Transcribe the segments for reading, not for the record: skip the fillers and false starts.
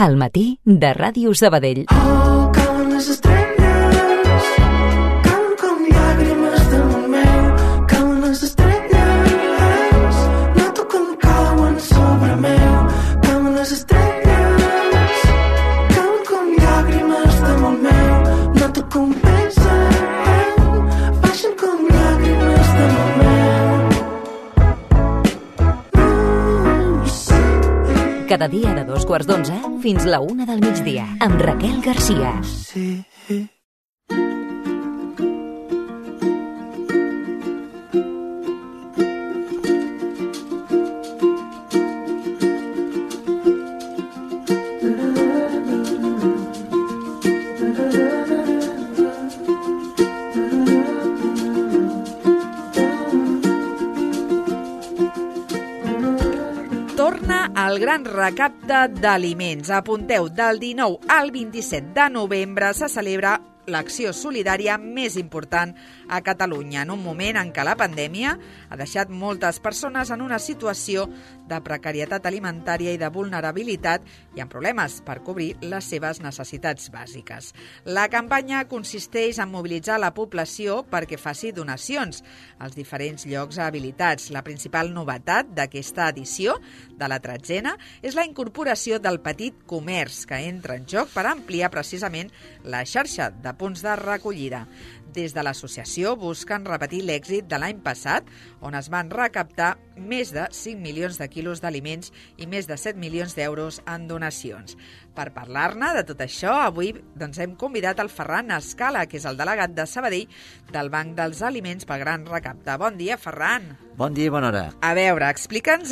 Al matí de Ràdio Sabadell. Cauen les estrelles, cauen com llàgrimes damunt meu, cauen les estrelles, noto com cauen sobre meu, cauen les estrelles, cauen com llàgrimes damunt meu, noto com pesen, baixen com llàgrimes damunt meu. Cada dia de 2:15 fins la 1 del migdia, amb Raquel Garcia. Sí. Torna el gran recapte d'aliments. Apunteu, del 19 al 27 de novembre se celebra l'acció solidària més important a Catalunya, en un moment en què la pandèmia ha deixat moltes persones en una situació de precarietat alimentària i de vulnerabilitat i amb problemes per cobrir les seves necessitats bàsiques. La campanya consisteix en mobilitzar la població perquè faci donacions als diferents llocs habilitats. La principal novetat d'aquesta edició, de la 13a, és la incorporació del petit comerç, que entra en joc per ampliar precisament la xarxa de punts de recollida. Des de l'associació busquen repetir l'èxit de l'any passat, on es van recaptar més de 5 milions de quilos d'aliments i més de 7 milions d'euros en donacions. Per parlar-ne de tot això, avui hem convidat el Ferran Escala, que és el delegat de Sabadell del Banc dels Aliments pel Gran Recapte. Bon dia, Ferran. Bon dia i bona hora. A veure, explica'ns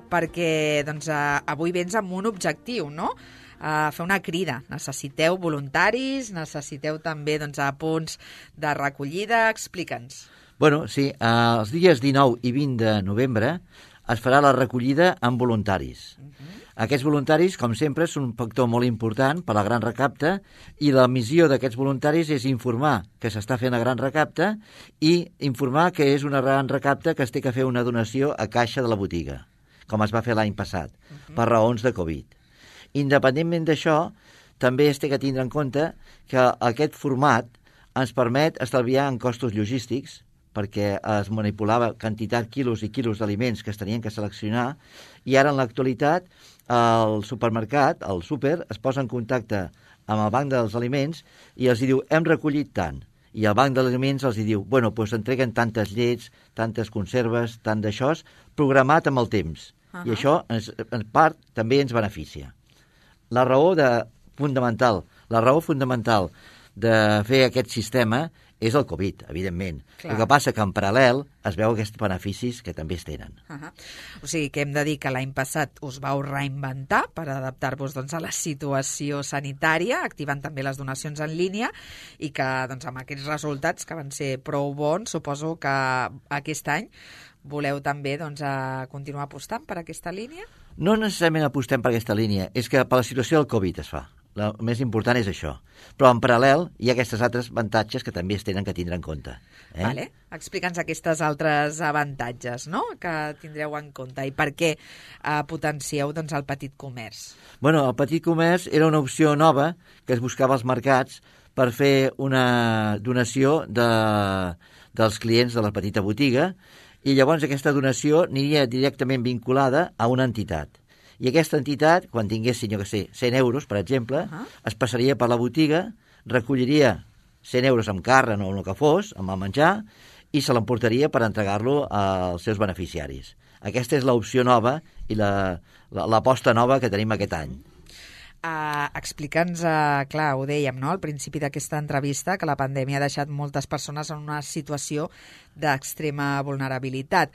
perquè avui vens amb un objectiu, no? Fer una crida. Necessiteu voluntaris, necessiteu també punts de recollida. Explica'ns. Bueno, sí, els dies 19 i 20 de novembre es farà la recollida amb voluntaris. Aquests voluntaris, com sempre, són un factor molt important per al Gran Recapte i la missió d'aquests voluntaris és informar que s'està fent el Gran Recapte i informar que és un Gran Recapte que es té que fer una donació a caixa de la botiga, com es va fer l'any passat, per raons de Covid. Independentment d'això, també es té que tindre en compte que aquest format ens permet estalviar en costos logístics, perquè es manipulava quantitat, quilos i quilos d'aliments que es tenien que seleccionar, i ara en l'actualitat el supermercat, el súper, es posa en contacte amb el Banc dels Aliments i els diu, hem recollit tant. I el Banc dels Aliments els diu, bueno, doncs entreguen tantes llets, tantes conserves, tant d'això, programat amb el temps. I això, en part, també ens beneficia. La raó fundamental de fer aquest sistema és el Covid, evidentment. Clar. El que passa que en paral·lel es veu aquests beneficis que també es tenen. O sigui que hem de dir que l'any passat us vau reinventar per adaptar-vos a la situació sanitària, activant també les donacions en línia i que amb aquests resultats que van ser prou bons, suposo que aquest any voleu també continuar apostant per aquesta línia? No necessàriament apostem per aquesta línia, és que per la situació del Covid es fa. El més important és això. Però en paral·lel hi ha aquests altres avantatges que també es tenen que tindre en compte. Vale. Explica'ns aquests altres avantatges, no?, que tindreu en compte i per què potencieu el petit comerç. Bueno, el petit comerç era una opció nova que es buscava als mercats per fer una donació dels clients de la petita botiga i llavors aquesta donació aniria directament vinculada a una entitat. I aquesta entitat, quan tingués, 100 euros, per exemple, es passaria per la botiga, recolliria 100 euros amb carn o el que fos, amb el menjar, i se l'emportaria per entregar-lo als seus beneficiaris. Aquesta és l'opció nova i l'aposta nova que tenim aquest any. Explica'ns, clar, ho dèiem, no?, al principi d'aquesta entrevista, que la pandèmia ha deixat moltes persones en una situació d'extrema vulnerabilitat.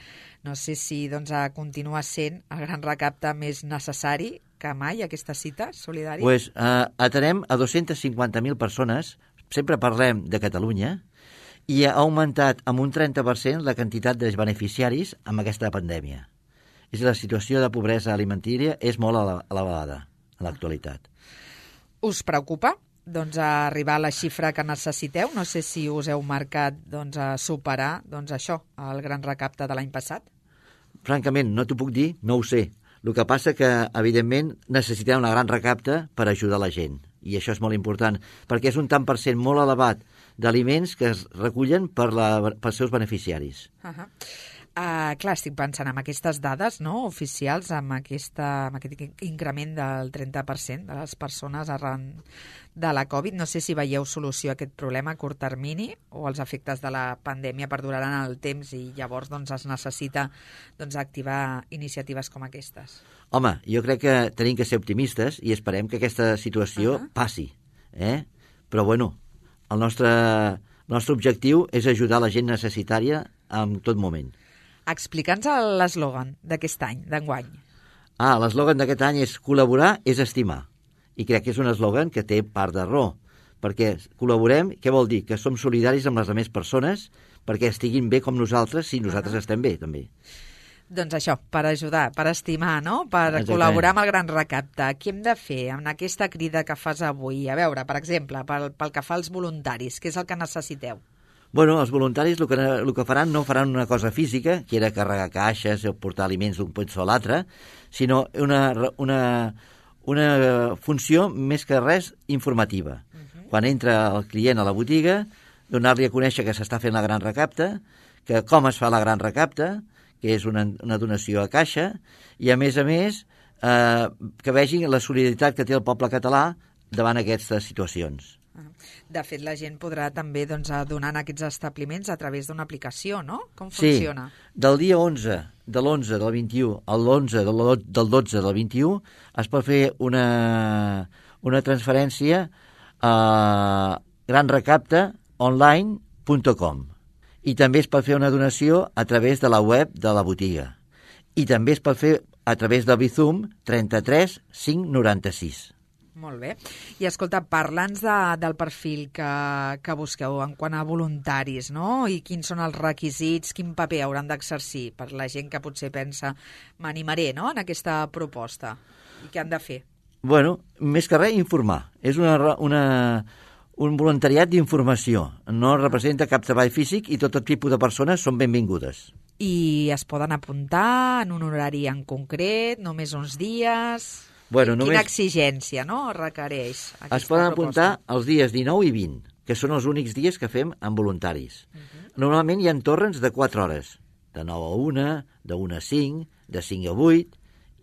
No sé si continua sent el Gran Recapte més necessari que mai, aquesta cita solidària. Pues atenem a 250.000 persones, sempre parlem de Catalunya, i ha augmentat amb un 30% la quantitat de beneficiaris amb aquesta pandèmia. La situació de pobresa alimentària és molt elevada en l'actualitat. Us preocupa arribar a la xifra que necessiteu? No sé si us heu marcat superar això, el Gran Recapte de l'any passat. Francament, no t'ho puc dir, no ho sé. El que passa que, evidentment, necessitem una gran recapta per ajudar la gent. I això és molt important, perquè és un tant per cent molt elevat d'aliments que es recullen pels seus beneficiaris. Clar, estic pensant en aquestes dades, no?, oficials, amb aquest increment del 30% de les persones arran de la Covid. No sé si veieu solució a aquest problema a curt termini o els efectes de la pandèmia perduraran en el temps i llavors doncs, es necessita activar iniciatives com aquestes. Home, jo crec que tenim que ser optimistes i esperem que aquesta situació passi. Però, bueno, el nostre objectiu és ajudar la gent necessitària en tot moment. Explica'ns l'eslògan d'aquest any, d'enguany. L'eslògan d'aquest any és col·laborar és estimar. I crec que és un eslògan que té part de raó, perquè col·laborem, què vol dir? Que som solidaris amb les altres persones perquè estiguin bé com nosaltres, si nosaltres estem bé, també. Doncs això, per ajudar, per estimar, no?, per col·laborar amb el gran recapte. Què hem de fer en aquesta crida que fas avui? A veure, per exemple, pel que fa als voluntaris, què és el que necessiteu? Bueno, els voluntaris el que faran no faran una cosa física, que era carregar caixes o portar aliments d'un punt a l'altre, sinó una funció més que res informativa. Quan entra el client a la botiga, donar-li a conèixer que s'està fent la gran recapta, que com es fa la gran recapta, que és una donació a caixa, i a més, que vegin la solidaritat que té el poble català davant aquestes situacions. De fet, la gent podrà també donar en aquests establiments a través d'una aplicació, no? Com funciona? Sí, del dia 11, de l'11 del 21 a l'11 del 12 del 21 es pot fer una transferència a granrecaptaonline.com i també es pot fer una donació a través de la web de la botiga i també es pot fer a través del Bizum 33 596. Molt bé. I escolta, parla'ns del perfil que busqueu en quant a voluntaris, no? I quins són els requisits, quin paper hauran d'exercir per la gent que potser pensa m'animaré, no?, en aquesta proposta. I què han de fer? Bueno, més que res, informar. És un voluntariat d'informació. No representa cap treball físic i tot tipus de persones són benvingudes. I es poden apuntar en un horari en concret, només uns dies? Bueno, Quina exigència, no?, requereix aquesta proposta? Es poden apuntar els dies 19 i 20, que són els únics dies que fem amb voluntaris. Normalment hi ha torns de 4 hores, de 9 a 1, de 1 a 5, de 5 a 8,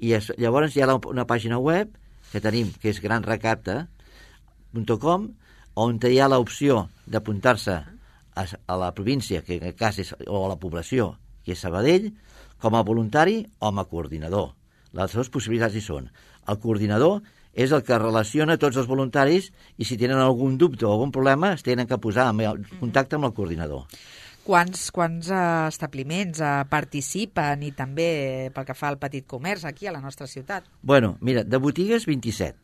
i llavors hi ha una pàgina web que tenim, que és granrecapta.com, on hi ha l'opció d'apuntar-se a la província, que en aquest cas és, o a la població, que és Sabadell, com a voluntari o com a coordinador. Les dues possibilitats hi són. El coordinador és el que relaciona tots els voluntaris i si tenen algun dubte o algun problema es tenen que posar en contacte amb el coordinador. Quants establiments participen i també pel que fa al petit comerç aquí a la nostra ciutat? Bueno, mira, de botigues 27,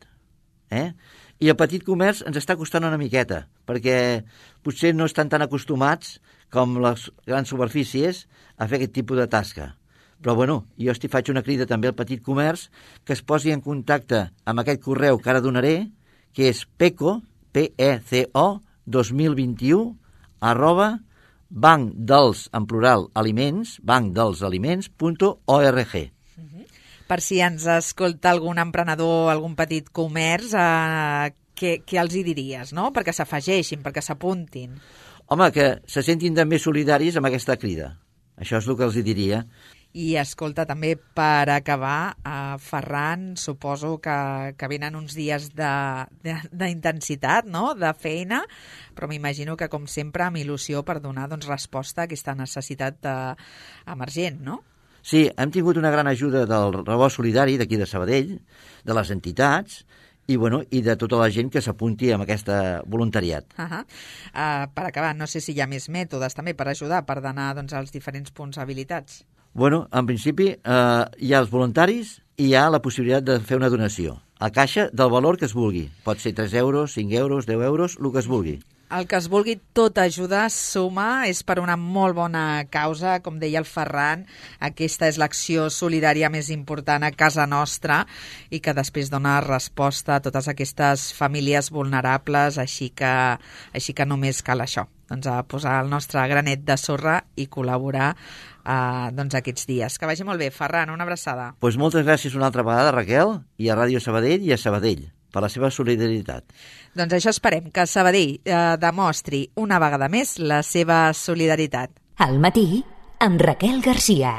I el petit comerç ens està costant una miqueta, perquè potser no estan tan acostumats com les grans superfícies a fer aquest tipus de tasca. Però, bueno, jo faig una crida també al petit comerç que es posi en contacte amb aquest correu que ara donaré, que és PECO, PECO, 2021, @bancdels, en plural, aliments, bancdelsaliments.org. Per si ens escolta algun emprenedor, algun petit comerç, què els hi diries, no?, perquè s'afegeixin, perquè s'apuntin. Home, que se sentin també solidaris amb aquesta crida. Això és el que els hi diria. I escolta, també per acabar, Ferran, suposo que venen uns dies d'intensitat, no?, de feina, però m'imagino que, com sempre, amb il·lusió per donar resposta a aquesta necessitat emergent, no? Sí, hem tingut una gran ajuda del Rebost Solidari d'aquí de Sabadell, de les entitats i de tota la gent que s'apunti amb aquest voluntariat. Per acabar, no sé si hi ha més mètodes també per ajudar, per donar als diferents punts habilitats. Bueno, en principi hi ha els voluntaris i hi ha la possibilitat de fer una donació a caixa del valor que es vulgui. Pot ser 3 euros, 5 euros, 10 euros, el que es vulgui. El que es vulgui, tot ajuda, suma, és per una molt bona causa, com deia el Ferran, aquesta és l'acció solidària més important a casa nostra i que després dona resposta a totes aquestes famílies vulnerables, així que només cal això, doncs, a posar el nostre granet de sorra i col·laborar doncs, aquests dies. Que vagi molt bé. Ferran, una abraçada. Pues moltes gràcies una altra vegada, Raquel, i a Ràdio Sabadell i a Sabadell, per la seva solidaritat. Doncs això esperem, que Sabadell demostri una vegada més la seva solidaritat. Al matí, amb Raquel Garcia.